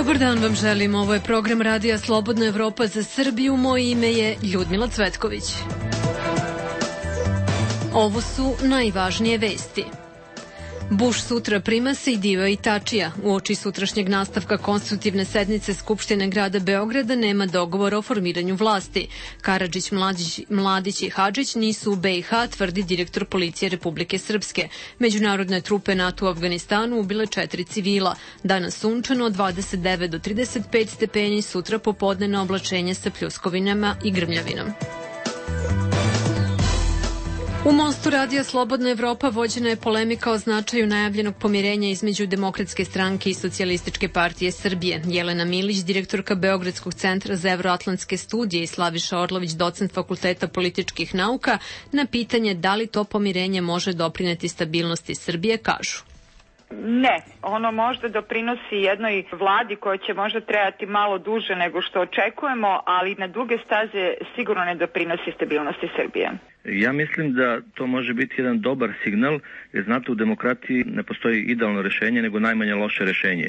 Dobar dan vam želim, ovo je program Radija Slobodna Evropa za Srbiju, moje ime je Ljudmila Cvetković. Ovo su najvažnije vesti. Bush sutra prima Sejdiua i Tačija. Uoči sutrašnjeg nastavka konstitutivne sednice Skupštine grada Beograda nema dogovora o formiranju vlasti. Karadžić, Mladić i Hadžić nisu u BiH, tvrdi direktor policije Republike Srpske. Međunarodne trupe NATO u Afganistanu ubile 4 civila. Danas sunčano, 29 do 35 stepeni, sutra popodne na oblačenje sa pljuskovinama i grmljavinom. U Mostu Radija Slobodna Evropa vođena je polemika o značaju najavljenog pomirenja između Demokratske stranke i Socijalističke partije Srbije. Jelena Milić, direktorka Beogradskog centra za evroatlantske studije, i Slaviša Orlović, docent Fakulteta političkih nauka, na pitanje da li to pomirenje može doprineti stabilnosti Srbije, kažu. Ne, ono možda doprinosi jednoj vladi koja će možda trajati malo duže nego što očekujemo, ali na duge staze sigurno ne doprinosi stabilnosti Srbije. Ja mislim da to može biti jedan dobar signal, jer znate, u demokratiji ne postoji idealno rešenje, nego najmanje loše rešenje.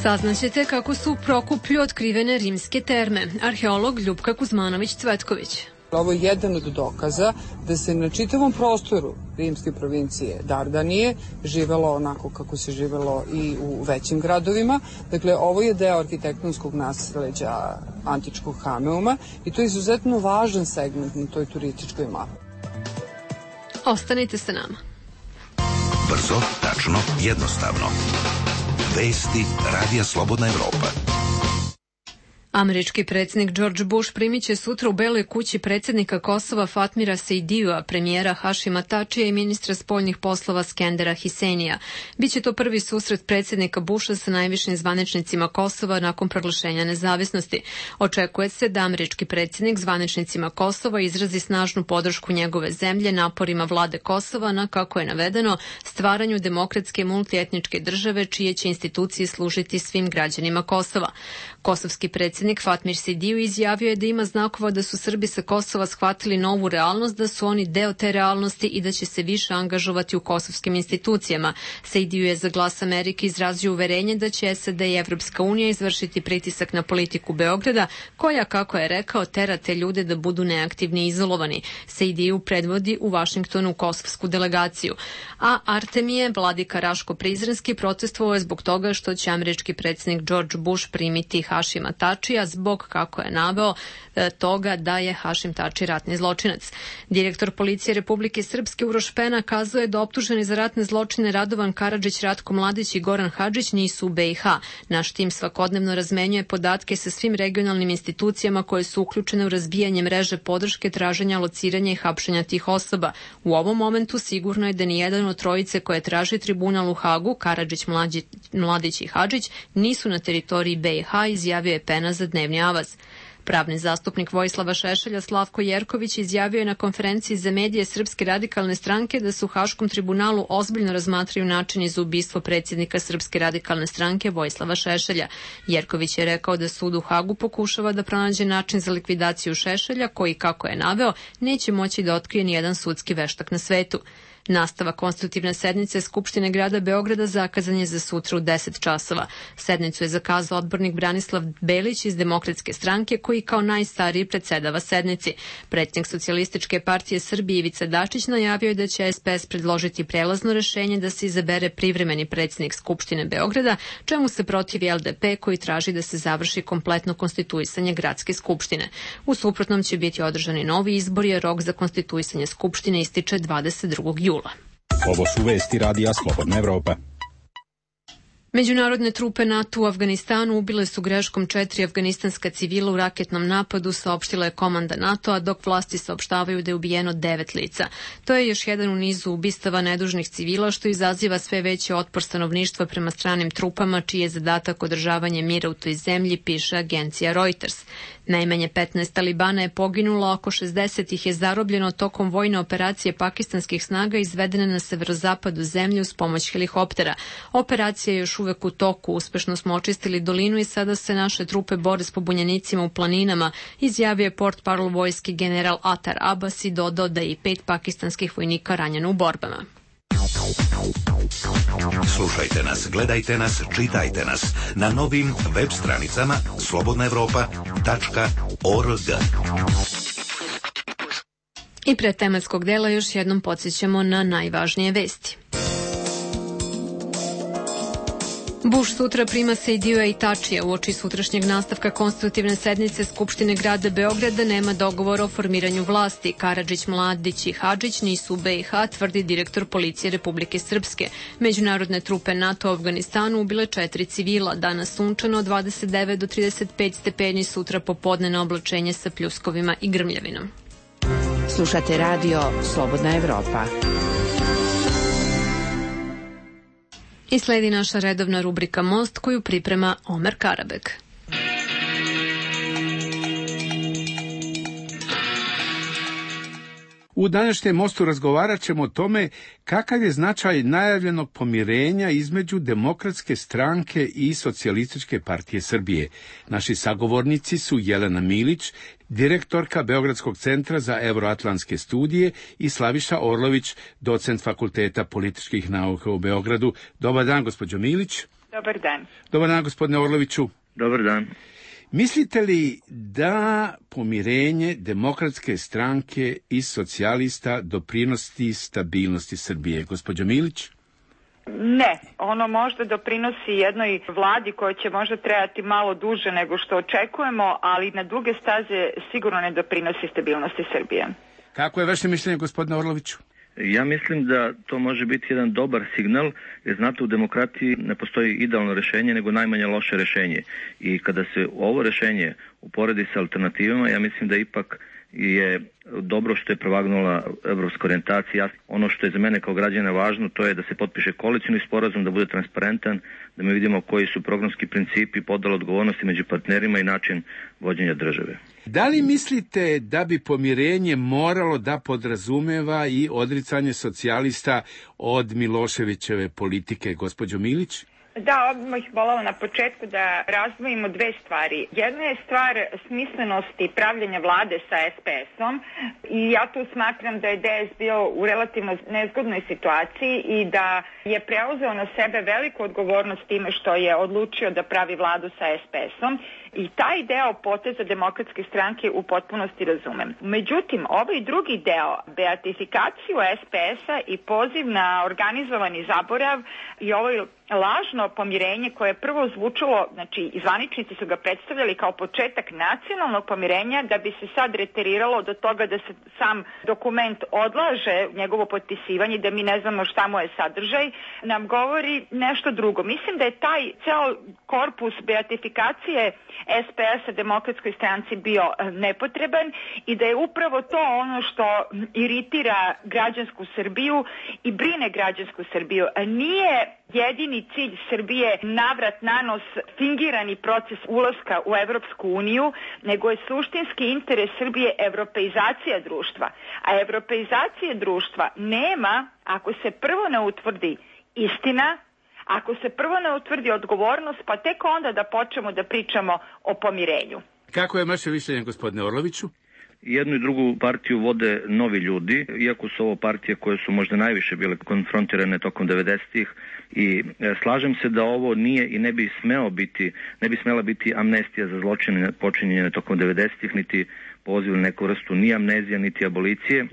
Saznaćete kako su u Prokuplju otkrivene rimske terme. Arheolog Ljupka Kuzmanović-Cvetković. Ovo je jedan od dokaza da se na čitavom prostoru rimske provincije Dardanije živelo onako kako se živelo i u većim gradovima. Dakle, ovo je deo arhitektonskog nasleđa antičkog Hameuma i to je izuzetno važan segment na toj turističkoj mapi. Ostanite sa nama. Brzo, tačno, jednostavno. Vesti Radija Slobodna Evropa. Američki predsjednik George Bush primit će sutra u Beloj kući predsjednika Kosova Fatmira Sejdiua, premijera Hašima Tačija i ministra spoljnih poslova Skendera Hiseinija. Biće to prvi susret predsjednika Busha sa najvišim zvaničnicima Kosova nakon proglašenja nezavisnosti. Očekuje se da američki predsjednik zvaničnicima Kosova izrazi snažnu podršku njegove zemlje naporima vlade Kosova na, kako je navedeno, stvaranju demokratske multietničke države čije će institucije služiti svim građanima Kosova. Kosovski predsjednik Fatmir Sejdiu izjavio je da ima znakova da su Srbi sa Kosova shvatili novu realnost, da su oni deo te realnosti i da će se više angažovati u kosovskim institucijama. Sejdiu je za Glas Amerike izrazio uverenje da će SAD i Evropska unija izvršiti pritisak na politiku Beograda, koja, kako je rekao, tera te ljude da budu neaktivni i izolovani. Sejdiu predvodi u Vašingtonu kosovsku delegaciju. A Artemije, vladika Raško-Prizrenski, protestovao je zbog toga što će američki predsjednik George Bush primiti Hašima Tačija zbog, kako je naveo, toga da je Hašim Tači ratni zločinac. Direktor policije Republike Srpske Uroš Pena kazao je da optuženi za ratne zločine Radovan Karadžić, Ratko Mladić i Goran Hadžić nisu u BiH. Naš tim svakodnevno razmenjuje podatke sa svim regionalnim institucijama koje su uključene u razbijanje mreže podrške, traženja, lociranja i hapšenja tih osoba. U ovom momentu sigurno je da nijedan od trojice koje traži tribunal u Hagu, Karadžić, Mladić i Hadžić, nisu na teritoriji BiH, izjavio je Pena za Dnevni avaz. Pravni zastupnik Vojislava Šešelja Slavko Jerković izjavio je na konferenciji za medije Srpske radikalne stranke da se u Haškom tribunalu ozbiljno razmatraju načini za ubistvo predsjednika Srpske radikalne stranke Vojislava Šešelja. Jerković je rekao da sud u Hagu pokušava da pronađe način za likvidaciju Šešelja, koji, kako je naveo, neće moći da otkrije nijedan sudski veštak na svetu. Nastavak konstitutivne sednice Skupštine grada Beograda zakazan je za sutra u 10 časova. Sednicu je zakazao odbornik Branislav Belić iz Demokratske stranke, koji kao najstariji predsedava sednici. Predsjednik Socijalističke partije Srbije Ivica Dačić najavio je da će SPS predložiti prelazno rešenje da se izabere privremeni predsjednik Skupštine Beograda, čemu se protivi LDP, koji traži da se završi kompletno konstituisanje gradske skupštine. U suprotnom će biti održani novi izbori, a rok za konstituisanje skupštine ističe 22. jula. Ovo su vesti Radija Slobodna Evropa. Međunarodne trupe NATO u Afganistanu ubile su greškom 4 afganistanska civila u raketnom napadu, saopštila je komanda NATO-a, dok vlasti saopštavaju da je ubijeno 9 lica. To je još jedan u nizu ubistava nedužnih civila, što izaziva sve veći otpor stanovništva prema stranim trupama, čiji je zadatak održavanje mira u toj zemlji, piše agencija Reuters. Najmanje 15 talibana je poginulo, oko 60 ih je zarobljeno tokom vojne operacije pakistanskih snaga izvedene na severozapadu zemlje uz pomoć helikoptera. Operacija je još uvek u toku, uspešno smo očistili dolinu i sada se naše trupe bore s pobunjenicima u planinama, izjavio je portparol vojski general Atar Abbas i dodao da je i 5 pakistanskih vojnika ranjeno u borbama. Slušajte nas, gledajte nas, čitajte nas na novim web stranicama slobodnaevropa.org. I pre tematskog dela još jednom podsjećamo na najvažnije vesti. Bush sutra prima Sejdija i Tačija. Uoči sutrašnjeg nastavka konstitutivne sednice Skupštine grada Beograda nema dogovora o formiranju vlasti. Karadžić, Mladić i Hadžić nisu u BiH, tvrdi direktor policije Republike Srpske. Međunarodne trupe NATO u Afganistanu ubile 4 civila. Danas sunčano 29 do 35 stepeni, sutra popodnevno oblačenje sa pljuskovima i grmljavinom. Slušate radio Slobodna Evropa. I sledi naša redovna rubrika Most koju priprema Omer Karabek. U današnjem Mostu razgovarat ćemo o tome kakav je značaj najavljenog pomirenja između Demokratske stranke i Socijalističke partije Srbije. Naši sagovornici su Jelena Milić, direktorka Beogradskog centra za evroatlantske studije, i Slaviša Orlović, docent Fakulteta političkih nauka u Beogradu. Dobar dan, gospođo Milić. Dobar dan. Dobar dan, gospodine Orloviću. Dobar dan. Mislite li da pomirenje Demokratske stranke i socijalista doprinosi stabilnosti Srbije? Gospođo Milić? Ne, ono možda doprinosi jednoj vladi koja će možda trajati malo duže nego što očekujemo, ali na duge staze sigurno ne doprinosi stabilnosti Srbije. Kako je vaše mišljenje, gospodine Orloviću? Ja mislim da to može biti jedan dobar signal, jer znate, u demokratiji ne postoji idealno rešenje, nego najmanje loše rešenje. I kada se ovo rešenje uporedi sa alternativama, ja mislim da ipak je dobro što je prevagnula evropska orijentacija. Ono što je za mene kao građana važno, to je da se potpiše koalicioni sporazum, da bude transparentan, da mi vidimo koji su programski principi, podela odgovornosti među partnerima i način vođenja države. Da li mislite da bi pomirenje moralo da podrazumeva i odricanje socijalista od Miloševićeve politike, gospođo Milić? Da, odmah bih voljela na početku da razdvojimo dve stvari. Jedna je stvar smislenosti pravljenja vlade sa SPS-om i ja tu smatram da je DS bio u relativno nezgodnoj situaciji i da je preuzeo na sebe veliku odgovornost time što je odlučio da pravi vladu sa SPS-om i taj deo poteza Demokratske stranke u potpunosti razumem. Međutim, ovaj drugi deo, beatifikaciju SPS-a i poziv na organizovani zaborav i ovaj lažno pomirenje koje je prvo zvučalo, znači zvaničnici su ga predstavljali kao početak nacionalnog pomirenja, da bi se sad reteriralo do toga da se sam dokument odlaže, njegovo potpisivanje, da mi ne znamo šta mu je sadržaj, nam govori nešto drugo. Mislim da je taj ceo korpus beatifikacije SPS-a Demokratskoj stranci bio nepotreban i da je upravo to ono što iritira građansku Srbiju i brine građansku Srbiju. Nije jedini cilj Srbije navrat na nos fingirani proces ulaska u Evropsku uniju, nego je suštinski interes Srbije evropeizacija društva. A evropeizacije društva nema ako se prvo ne utvrdi istina, ako se prvo ne utvrdi odgovornost, pa tek onda da počnemo da pričamo o pomirenju. Kako je vaše mišljenje, gospodine Orloviću? Jednu i drugu partiju vode novi ljudi, iako su ovo partije koje su možda najviše bile konfrontirane tokom 90-ih, i slažem se da ovo nije i ne bi smela biti amnestija za zločine počinjene tokom 90-ih, niti poziv na neku vrstu ni amnezija, niti abolicije,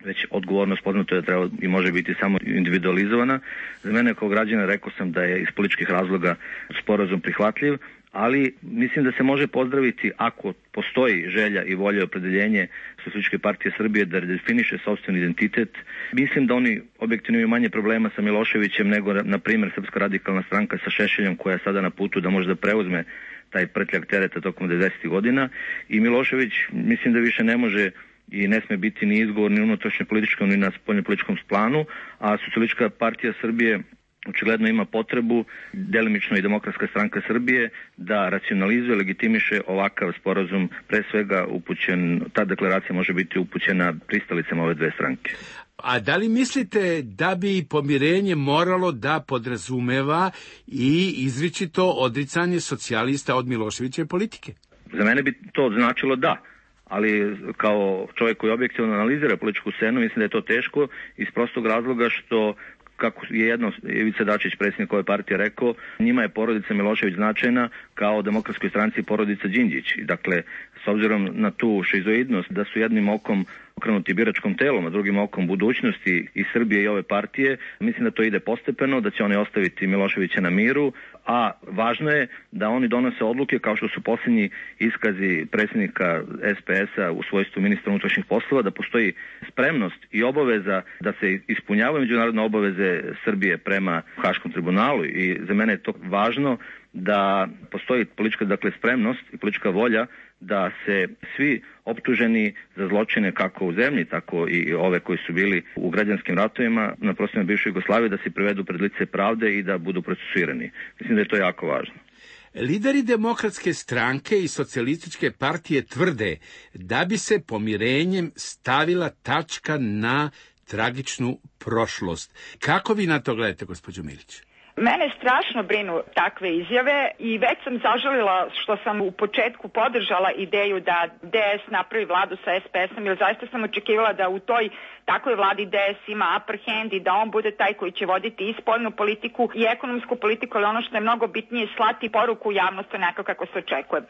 već odgovornost poznato je da treba i može biti samo individualizovana. Za mene kao građana rekao sam da je iz političkih razloga sporazum prihvatljiv, ali mislim da se može pozdraviti ako postoji želja i volja i opredeljenje Socijalističke partije Srbije da redefiniše sopstveni identitet. Mislim da oni objektivno imaju manje problema sa Miloševićem nego, na primjer, Srpska radikalna stranka sa Šešeljom, koja je sada na putu da može da preuzme taj prtljak tereta tokom 90. godina. I Milošević mislim da više ne može i ne sme biti ni izgovor ni unutrašnje političkom ni na spoljnopolitičkom planu, a Socijalistička partija Srbije očigledno ima potrebu, delimično i Demokratska stranka Srbije, da racionalizuje, legitimiše ovakav sporazum, pre svega upućen, ta deklaracija može biti upućena pristalicama ove dve stranke. A da li mislite da bi pomirenje moralo da podrazumeva i izričito odricanje socijalista od Miloševićeve politike? Za mene bi to značilo da, ali kao čovjek koji objektivno analizira političku scenu, mislim da je to teško iz prostog razloga što kako je jedno Ivica Dačić, predsjednik ove partije, rekao, njima je porodica Milošević značajna kao Demokratskoj stranci porodica Đinđić. Dakle, s obzirom na tu šizoidnost da su jednim okom okrenuti biračkom telom, a drugim okom budućnosti i Srbije i ove partije, mislim da to ide postepeno, da će oni ostaviti Miloševića na miru, a važno je da oni donose odluke kao što su posljednji iskazi predsjednika SPS-a u svojstvu ministra unutrašnjih poslova, da postoji spremnost i obaveza da se ispunjavaju međunarodne obaveze Srbije prema Haškom tribunalu i za mene je to važno da postoji politička spremnost i politička volja da se svi optuženi za zločine kako u zemlji, tako i ove koji su bili u građanskim ratovima na prostorima bivše Jugoslavije, da se privedu pred lice pravde i da budu procesuirani. Mislim da je to jako važno. Lideri Demokratske stranke i Socijalističke partije tvrde da bi se pomirenjem stavila tačka na tragičnu prošlost. Kako vi na to gledate, gospođo Milić? Mene strašno brinu takve izjave i već sam zažalila što sam u početku podržala ideju da DS napravi vladu sa SPS-om, jer zaista sam očekivala da u toj takvoj vladi DS ima upper hand i da on bude taj koji će voditi i spoljnu politiku i ekonomsku politiku, ali ono što je mnogo bitnije, slati poruku u javnost onako kako se očekuje.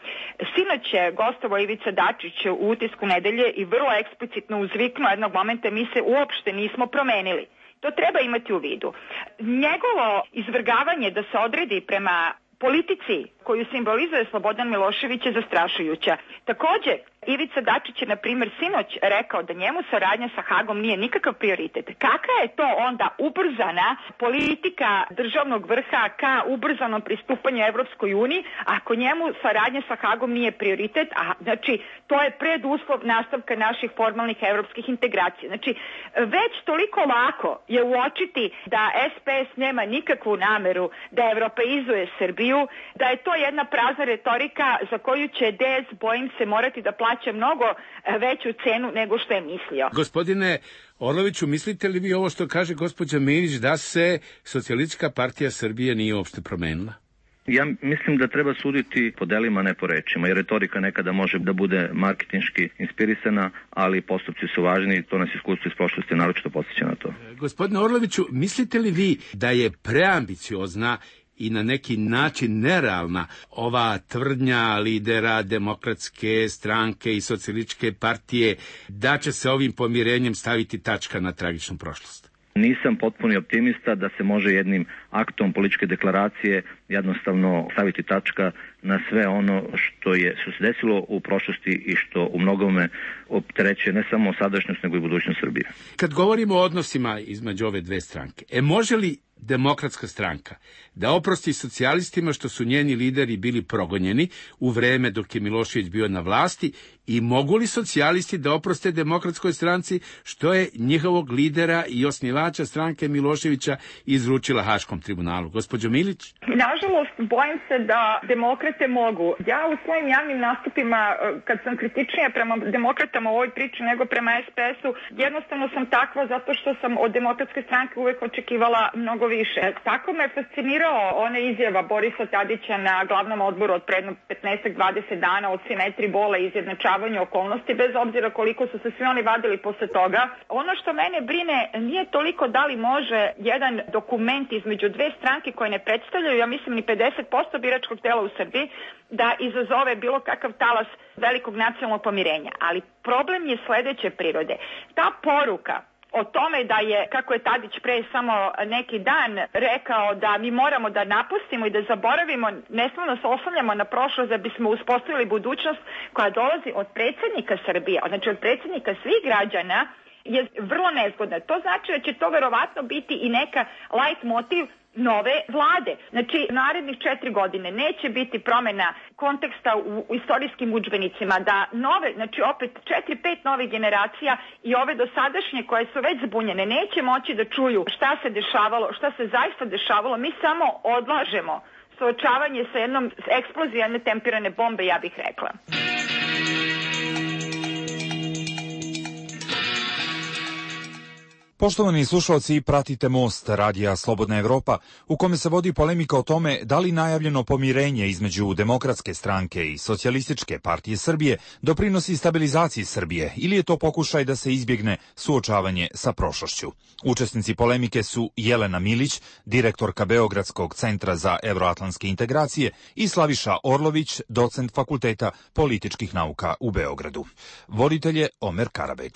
Sinoć je gostovao Ivica Dačić u Utisku nedelje i vrlo eksplicitno uzviknuo jednog momenta: mi se uopšte nismo promenili. To treba imati u vidu. Njegovo izvrgavanje da se odredi prema politici koju simbolizuje Slobodan Milošević je zastrašujuća. Takođe, Ivica Dačić je, na primjer, sinoć rekao da njemu saradnja sa Hagom nije nikakav prioritet. Kakva je to onda ubrzana politika državnog vrha ka ubrzanom pristupanju Evropskoj uniji, ako njemu saradnja sa Hagom nije prioritet, a znači to je preduslov nastavka naših formalnih evropskih integracija. Znači, već toliko lako je uočiti da SPS nema nikakvu nameru da evropeizuje Srbiju, da je to jedna prazna retorika za koju će DS, bojim se, morati da plaća mnogo veću cenu nego što je mislio. Gospodine Orloviću, mislite li vi ovo što kaže gospođa Milić, da se Socijalistička partija Srbije nije uopšte promenila? Ja mislim da treba suditi po delima, ne po rečima, jer retorika nekada može da bude marketinški inspirisana, ali postupci su važni i to nas iskustvo iz prošlosti naročito podsjeća na to. Gospodine Orloviću, mislite li vi da je preambiciozna i na neki način nerealna ova tvrdnja lidera Demokratske stranke i Socijalističke partije da će se ovim pomirenjem staviti tačka na tragičnu prošlost? Nisam potpuni optimista da se može jednim aktom političke deklaracije jednostavno staviti tačka na sve ono što se desilo u prošlosti i što u mnogome opterećuje ne samo sadašnjost nego i budućnost Srbije. Kad govorimo o odnosima između ove dve stranke, može li Demokratska stranka da oprosti socijalistima što su njeni lideri bili progonjeni u vreme dok je Milošević bio na vlasti, i mogu li socijalisti da oproste Demokratskoj stranci što je njihovog lidera i osnivača stranke Miloševića izručila Haškom tribunalu? Gospođo Milić? Nažalost, bojim se da demokrate mogu. Ja u svojim javnim nastupima, kad sam kritičnija prema demokratama u ovoj priči nego prema SPS-u, jednostavno sam takva zato što sam od Demokratske stranke uvek očekivala mnogo više. Tako me fascinirao ona izjava Borisa Tadića na glavnom odboru od predno 15-20 dana o simetriji bola i izjednačavanju okolnosti, bez obzira koliko su se svi oni vadili posle toga. Ono što mene brine nije toliko da li može jedan dokument između dve stranke koje ne predstavljaju, ja mislim, ni 50% biračkog tela u Srbiji, da izazove bilo kakav talas velikog nacionalnog pomirenja. Ali problem je sledeće prirode. Ta poruka o tome da je, kako je Tadić pre samo neki dan rekao, da mi moramo da napustimo i da zaboravimo, ne smemo da se oslanjamo na prošlost da bismo uspostavili budućnost koja dolazi od predsjednika Srbije, znači od predsjednika svih građana, je vrlo nezgodna. To znači da će to verovatno biti i neka light motiv nove vlade. Znači, narednih 4 godine neće biti promjena konteksta u istorijskim udžbenicima, da nove, znači opet 4-5 novih generacija i ove dosadašnje koje su već zbunjene neće moći da čuju šta se dešavalo, šta se zaista dešavalo. Mi samo odlažemo suočavanje sa jednom eksplozijom jedne tempirane bombe, ja bih rekla. Poštovani slušalci, pratite Most, radija Slobodna Evropa, u kome se vodi polemika o tome da li najavljeno pomirenje između Demokratske stranke i Socijalističke partije Srbije doprinosi stabilizaciji Srbije ili je to pokušaj da se izbjegne suočavanje sa prošlošću. Učesnici polemike su Jelena Milić, direktorka Beogradskog centra za evroatlantske integracije, i Slaviša Orlović, docent Fakulteta političkih nauka u Beogradu. Voditelj je Omer Karabeg.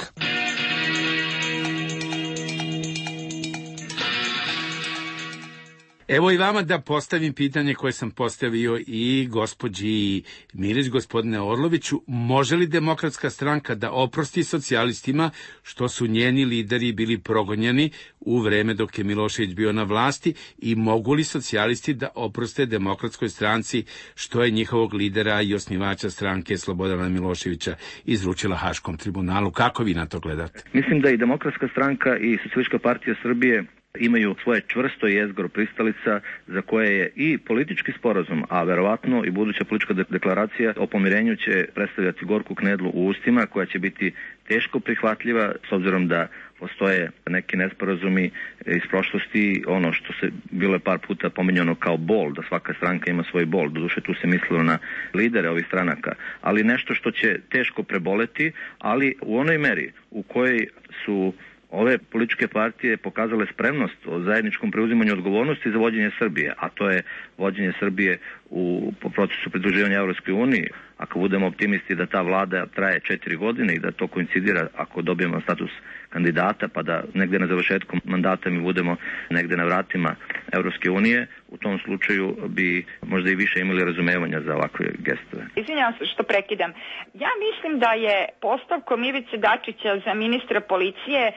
Evo i vama da postavim pitanje koje sam postavio i gospođi Milić, gospodine Orloviću. Može li Demokratska stranka da oprosti socijalistima što su njeni lideri bili progonjeni u vreme dok je Milošević bio na vlasti i mogu li socijalisti da oproste Demokratskoj stranci što je njihovog lidera i osnivača stranke Slobodana Miloševića izručila Haškom tribunalu? Kako vi na to gledate? Mislim da i Demokratska stranka i Socijalistička partija Srbije imaju svoje čvrsto jezgro pristalica za koje je i politički sporazum, a verovatno i buduća politička deklaracija o pomirenju će predstavljati gorku knedlu u ustima koja će biti teško prihvatljiva s obzirom da postoje neki nesporazumi iz prošlosti, ono što se bilo je par puta pominjano kao bol, da svaka stranka ima svoj bol, doduše tu se mislilo na lidere ovih stranaka, ali nešto što će teško preboleti, ali u onoj meri u kojoj su ove političke partije pokazale spremnost o zajedničkom preuzimanju odgovornosti za vođenje Srbije, a to je vođenje Srbije u procesu pridruživanja Evropskoj uniji. Ako budemo optimisti da ta vlada traje 4 godine i da to koincidira ako dobijemo status kandidata, pa da negde na završetku mandata mi budemo negde na vratima Evropske unije, u tom slučaju bi možda i više imali razumevanja za ovakve gestove. Izvinjavam se što prekidam. Ja mislim da je postavkom Ivice Dačića za ministra policije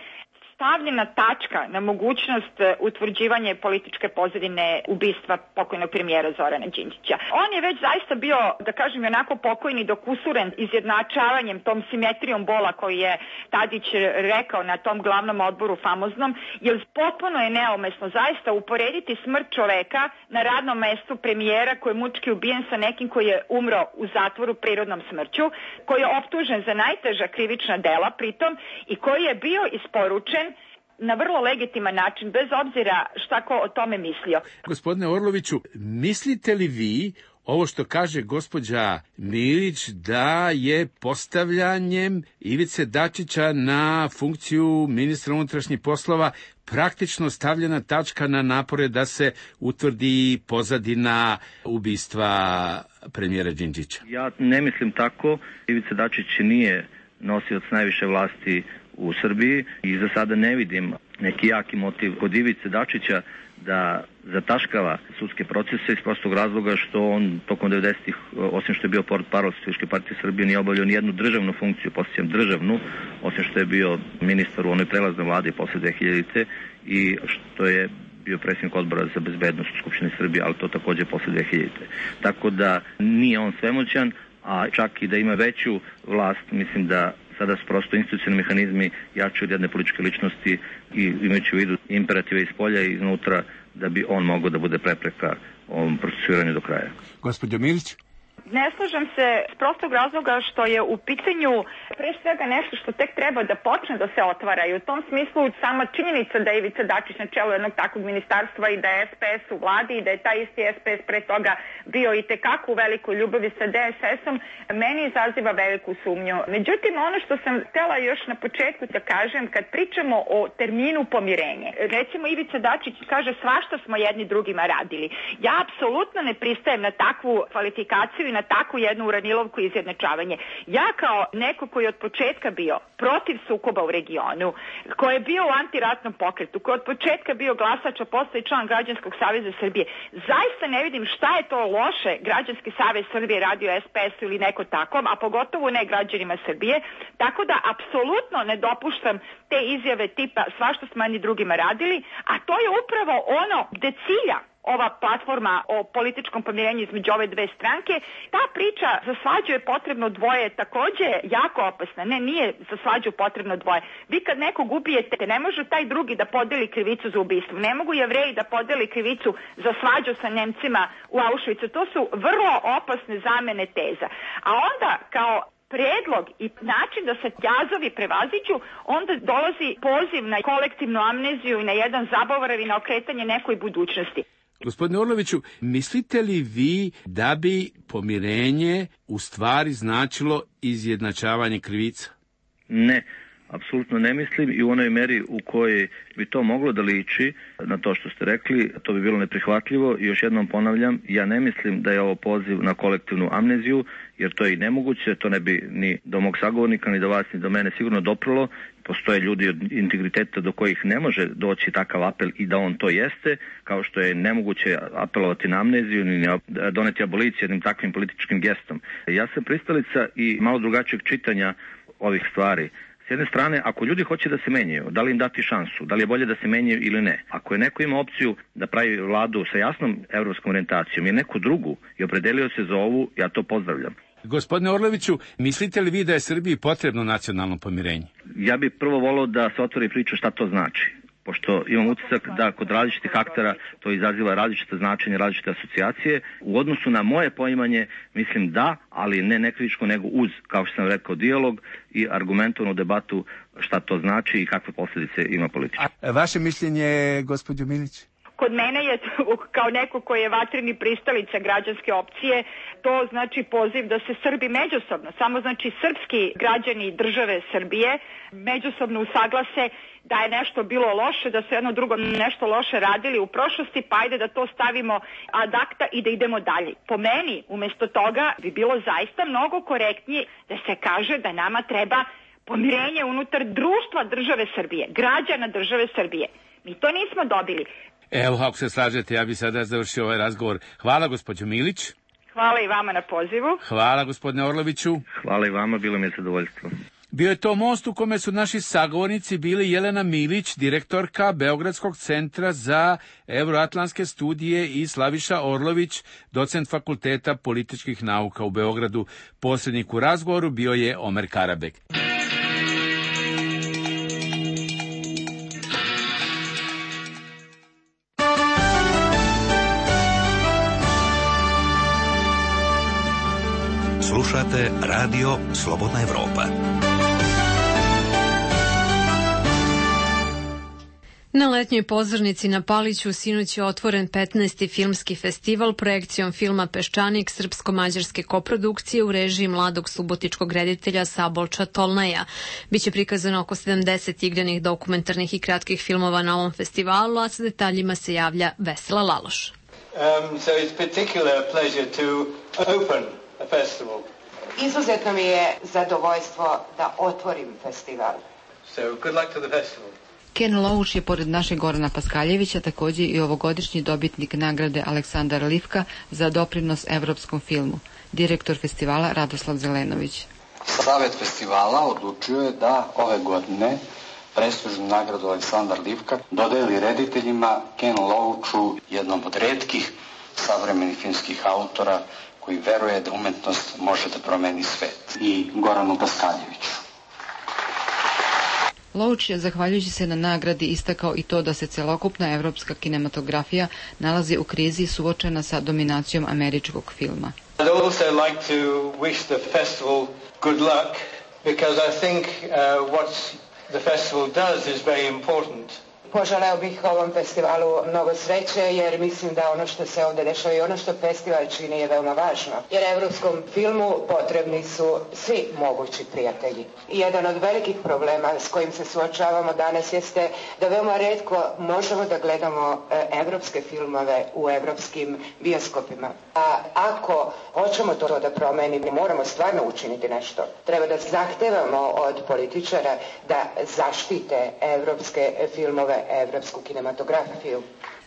stavljena tačka na mogućnost utvrđivanja političke pozadine ubistva pokojnog premijera Zorana Đinđića. On je već zaista bio, da kažem, onako pokojni dok usuren izjednačavanjem, tom simetrijom bola koji je Tadić rekao na tom glavnom odboru famoznom, jer potpuno je neumesno zaista uporediti smrt čoveka na radnom mestu premijera koji je mučki ubijen sa nekim koji je umro u zatvoru prirodnom smrću, koji je optužen za najteža krivična dela pritom i koji je bio isporučen na vrlo legitiman način, bez obzira šta ko o tome mislio. Gospodine Orloviću, mislite li vi ovo što kaže gospođa Milić da je postavljanjem Ivice Dačića na funkciju ministra unutrašnjih poslova praktično stavljena tačka na napore da se utvrdi pozadina ubistva premijera Đinđića? Ja ne mislim tako. Ivica Dačić nije nosioc najviše vlasti u Srbiji i za sada ne vidim neki jaki motiv kod Ivice Dačića da zataškava sudske procese iz prostog razloga što on tokom 90-ih, osim što je bio portparol Socijalističke partije Srbije, nije obavljao nijednu državnu funkciju, posjećam državnu, osim što je bio ministar u onoj prelaznoj vladi posle 2000-te i što je bio predsjednik odbora za bezbednost u Skupštini Srbije, ali to takođe posle 2000-te. Tako da nije on svemoćan, a čak i da ima veću vlast, mislim da sada su prosto institucionalni mehanizmi jači od jedne političke ličnosti i imajući u vidu imperative iz polja i iznutra da bi on mogao da bude prepreka ovom procesuiranju do kraja. Gospođo Milić? Ne slažem se s prostog razloga što je u pitanju pre svega nešto što tek treba da počne da se otvara i u tom smislu sama činjenica da je Ivica Dačić na čelu jednog takvog ministarstva i da je SPS u vladi i da je taj isti SPS pre toga bio i tekako u velikoj ljubavi sa DSS-om, meni izaziva veliku sumnju. Međutim, ono što sam htela još na početku da kažem, kad pričamo o terminu pomirenje, recimo Ivica Dačić kaže svašta smo jedni drugima radili. Ja apsolutno ne pristajem na takvu kvalifikaciju i na takvu jednu uranilovku i izjednačavanje. Ja kao neko koji je od početka bio protiv sukoba u regionu, koji je bio u antiratnom pokretu, koji je od početka bio glasač, a posle i član Građanskog saveza Srbije, zaista ne vidim šta je to loše Građanski savez Srbije radio SPS ili neko takom, a pogotovo ne građanima Srbije, tako da apsolutno ne dopuštam te izjave tipa svašta smo jedni drugima radili, a to je upravo ono gde cilja ova platforma o političkom pomirenju između ove dve stranke. Ta priča za svađu je potrebno dvoje je takođe jako opasna. Ne, nije za svađu potrebno dvoje. Vi kad nekog ubijete, ne može taj drugi da podeli krivicu za ubistvo. Ne mogu Jevreji da podeli krivicu za svađu sa Nemcima u Auschwitzu. To su vrlo opasne zamene teza. A onda kao predlog i način da se jazovi prevaziđu, onda dolazi poziv na kolektivnu amneziju i na jedan zaborav i na okretanje nekoj budućnosti. Gospodine Orloviću, mislite li vi da bi pomirenje u stvari značilo izjednačavanje krivica? Ne. Apsolutno ne mislim i u onoj meri u kojoj bi to moglo da liči na to što ste rekli, to bi bilo neprihvatljivo i još jednom ponavljam, ja ne mislim da je ovo poziv na kolektivnu amneziju, jer to je i nemoguće, to ne bi ni do mog sagovornika, ni do vas, ni do mene sigurno doprlo. Postoje ljudi od integriteta do kojih ne može doći takav apel i da on to jeste, kao što je nemoguće apelovati na amneziju ni doneti aboliciju jednim takvim političkim gestom. Ja sam pristalica i malo drugačijeg čitanja ovih stvari. S jedne strane, ako ljudi hoće da se menjaju, da li im dati šansu, da li je bolje da se menjaju ili ne? Ako je neko ima opciju da pravi vladu sa jasnom evropskom orijentacijom i neku drugu i opredelio se za ovu, ja to pozdravljam. Gospodine Orloviću, mislite li vi da je Srbiji potrebno nacionalno pomirenje? Ja bih prvo volao da se otvori priča šta to znači. Pošto imam utisak da kod različitih aktera to izaziva različite značenje, različite asocijacije. U odnosu na moje poimanje, mislim da, ali ne nekritičko, nego uz, kao što sam rekao, dijalog i argumentovanu debatu šta to znači i kakve posljedice ima politički. A vaše mišljenje, gospođo Milić? Kod mene je, kao neko koji je vatreni pristalica građanske opcije, to znači poziv da se Srbi međusobno, samo znači srpski građani države Srbije, međusobno usaglase da je nešto bilo loše, da su jedno drugo nešto loše radili u prošlosti, pa ajde da to stavimo ad acta i da idemo dalje. Po meni, umjesto toga, bi bilo zaista mnogo korektnije da se kaže da nama treba pomirenje unutar društva države Srbije, građana države Srbije. Mi to nismo dobili. Evo, ako se slažete, ja bih sada završio ovaj razgovor. Hvala, gospođo Milić. Hvala i vama na pozivu. Hvala, gospodine Orloviću. Hvala i vama, bilo mi je zadovoljstvo. Bio je to most u kome su naši sagovornici bili Jelena Milić, direktorka Beogradskog centra za evroatlantske studije, i Slaviša Orlović, docent Fakulteta političkih nauka u Beogradu. Posrednik u razgovoru bio je Omer Karabek. Slušate Radio Slobodna Evropa. Na letnjoj pozornici na Paliću sinoć je otvoren 15. filmski festival projekcijom filma Peščanik srpsko-mađarske koprodukcije u režiji mladog subotičkog reditelja Sabolča Tolnaja. Biće prikazano oko 70 igranih dokumentarnih i kratkih filmova na ovom festivalu, a sa detaljima se javlja Vesela Laloš. So it's particular pleasure to open a festival. Izuzetno mi je zadovoljstvo da otvorim festival. So good luck to the festival. Ken Loach je pored našeg Gorana Paskaljevića također i ovogodišnji dobitnik nagrade Aleksandar Livka za doprinos evropskom filmu. Direktor festivala Radoslav Zelenović. Savet festivala odlučio je da ove godine prestižnu nagradu Aleksandar Livka dodeli rediteljima Ken Loachu, jednom od retkih savremenih filmskih autora koji veruje da umetnost može da promeni svet, i Goranu Paskaljeviću. Loach je, zahvaljujući se na nagradi, istakao i to da se celokupna evropska kinematografija nalazi u krizi suočena sa dominacijom američkog filma. I'd also like to wish the festival good luck because I think what the festival does is very important. Poželeo bih ovom festivalu mnogo sreće, jer mislim da ono što se ovdje dešava i ono što festival čini je veoma važno. Jer evropskom filmu potrebni su svi mogući prijatelji. I jedan od velikih problema s kojim se suočavamo danas jeste da veoma retko možemo da gledamo evropske filmove u evropskim bioskopima. A ako hoćemo to da promenimo, moramo stvarno učiniti nešto. Treba da zahtevamo od političara da zaštite evropske filmove, evropsku kinematografiju.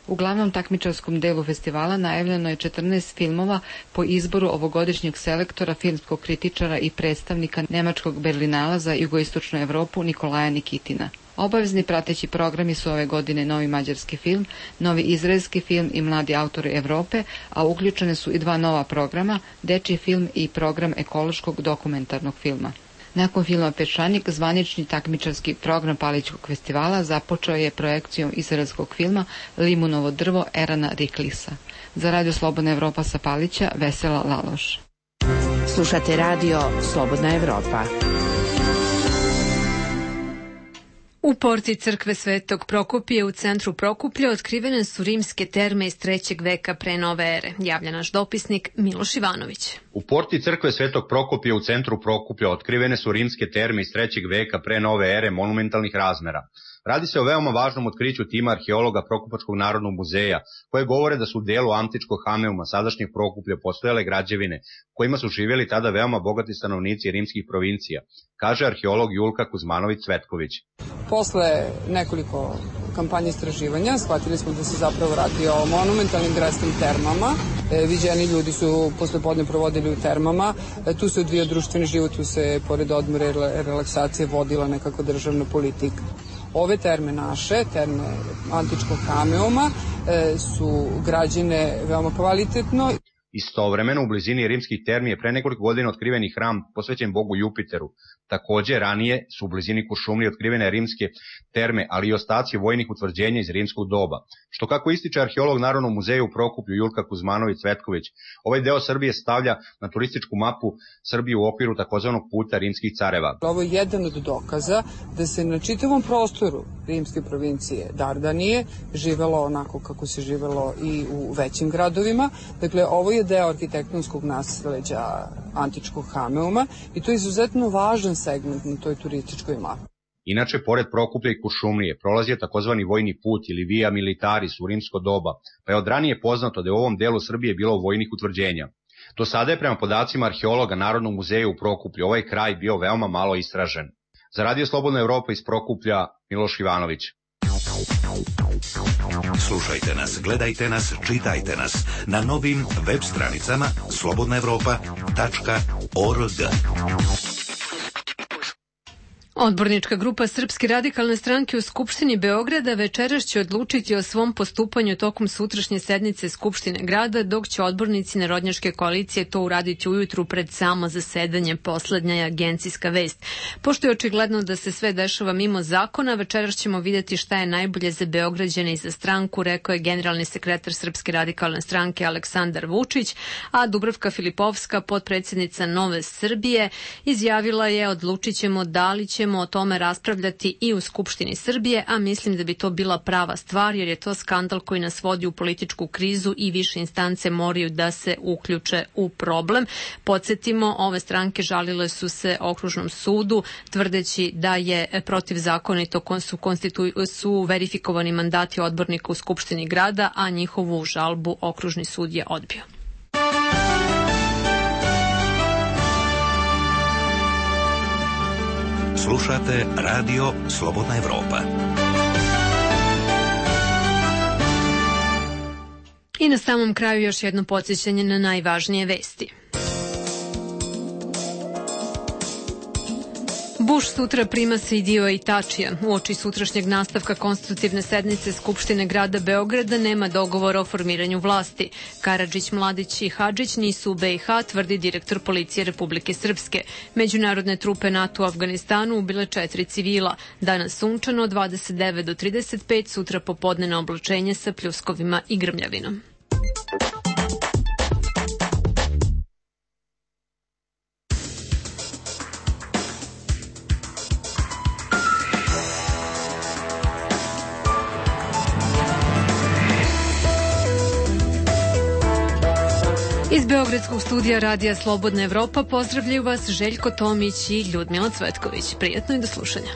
U glavnom takmičarskom delu festivala najavljeno je 14 filmova po izboru ovogodišnjeg selektora, filmskog kritičara i predstavnika nemačkog Berlinala za jugoistočnu Evropu Nikolaja Nikitina. Obavezni prateći programi su ove godine novi mađarski film, novi izraelski film i mladi autori Evrope, a uključene su i 2 nova programa, dečji film i program ekološkog dokumentarnog filma. Nakon filma Peščanik, zvanični takmičarski program Palićkog festivala započeo je projekcijom izraelskog filma Limunovo drvo Erana Riklisa. Za Radio Slobodna Evropa sa Palića, Vesela Laloš. Slušate radio Slobodna Evropa. U porti crkve Svetog Prokopija u centru Prokuplja otkrivene su rimske terme iz 3. veka pre nove ere, javlja naš dopisnik Miloš Ivanović. U porti crkve Svetog Prokopija u centru Prokuplja otkrivene su rimske terme iz 3. veka pre nove ere monumentalnih razmera. Radi se o veoma važnom otkriću tima arheologa Prokupačkog narodnog muzeja, koje govore da su u delu antičkog Hameuma, sadašnjeg Prokuplja, postojale građevine kojima su živjeli tada veoma bogati stanovnici rimskih provincija, kaže arheolog Julka Kuzmanović-Cvetković. Posle nekoliko kampanja istraživanja shvatili smo da se zapravo radi o monumentalnim gradskim termama. Viđeni ljudi su posle podne provodili u termama. Tu se odvija društveni život, tu se pored odmora i relaksacije vodila nekako državna politika. Ove terme naše, terme antičkog Hameuma, su građene veoma kvalitetno. Istovremeno, u blizini rimskih termi je pre nekoliko godina otkriven i hram posvećen bogu Jupiteru. Takođe, ranije su u blizini Kuršumlije otkrivene rimske terme, ali i ostaci vojnih utvrđenja iz rimskog doba. Što, kako ističe arheolog Narodnog muzeja u Prokuplju Julka Kuzmanović-Cvetković, ovaj deo Srbije stavlja na turističku mapu Srbije u okviru takozvanog puta rimskih careva. Ovo je jedan od dokaza da se na čitavom prostoru rimske provincije Dardanije živelo onako kako se živelo i u većim gradovima. Dakle, ovo je deo arhitektonskog nasleđa antičkog Hameuma i to je izuzetno važan segment na toj turističkoj mapi. Inače, pored Prokuplja i Kuršumlije prolazio takozvani vojni put ili via militaris u rimsko doba, pa je od ranije poznato da je u ovom delu Srbije bilo vojnih utvrđenja. Do sada je prema podacima arheologa Narodnog muzeja u Prokuplju ovaj kraj bio veoma malo istražen. Za Radio Slobodna Evropa iz Prokuplja, Miloš Ivanović. Slušajte nas, gledajte nas, čitajte nas na novim web stranicama slobodnaevropa.org. Odbornička grupa Srpske radikalne stranke u Skupštini Beograda večeras će odlučiti o svom postupanju tokom sutrašnje sednice Skupštine grada, dok će odbornici Narodnjačke koalicije to uraditi ujutru pred samo zasedanje, poslednja je agencijska vest. Pošto je očigledno da se sve dešava mimo zakona, večeras ćemo vidjeti šta je najbolje za Beograđane i za stranku, rekao je generalni sekretar Srpske radikalne stranke Aleksandar Vučić, a Dubravka Filipovska, potpredsjednica Nove Srbije, izjavila je: odlučit ćemo da li ćemo o tome raspravljati i u Skupštini Srbije, a mislim da bi to bila prava stvar, jer je to skandal koji nas vodi u političku krizu i više instance moraju da se uključe u problem. Podsjetimo, ove stranke žalile su se Okružnom sudu, tvrdeći da je protivzakonito su verifikovani mandati odbornika u Skupštini grada, a njihovu žalbu Okružni sud je odbio. Slušate Radio Slobodna Evropa. I na samom kraju još jedno podsjećanje na najvažnije vesti. Bush sutra prima Sejdija i Tačija. Uoči sutrašnjeg nastavka konstitutivne sednice Skupštine grada Beograda nema dogovora o formiranju vlasti. Karadžić, Mladić i Hadžić nisu u BiH, tvrdi direktor policije Republike Srpske. Međunarodne trupe NATO u Afganistanu ubile 4 civila. Danas sunčano 29 do 35, sutra popodne na oblačenje sa pljuskovima i grmljavinom. Iz Beogradskog studija Radija Slobodna Evropa pozdravljaju vas Željko Tomić i Ljudmila Cvetković. Prijatno i do slušanja.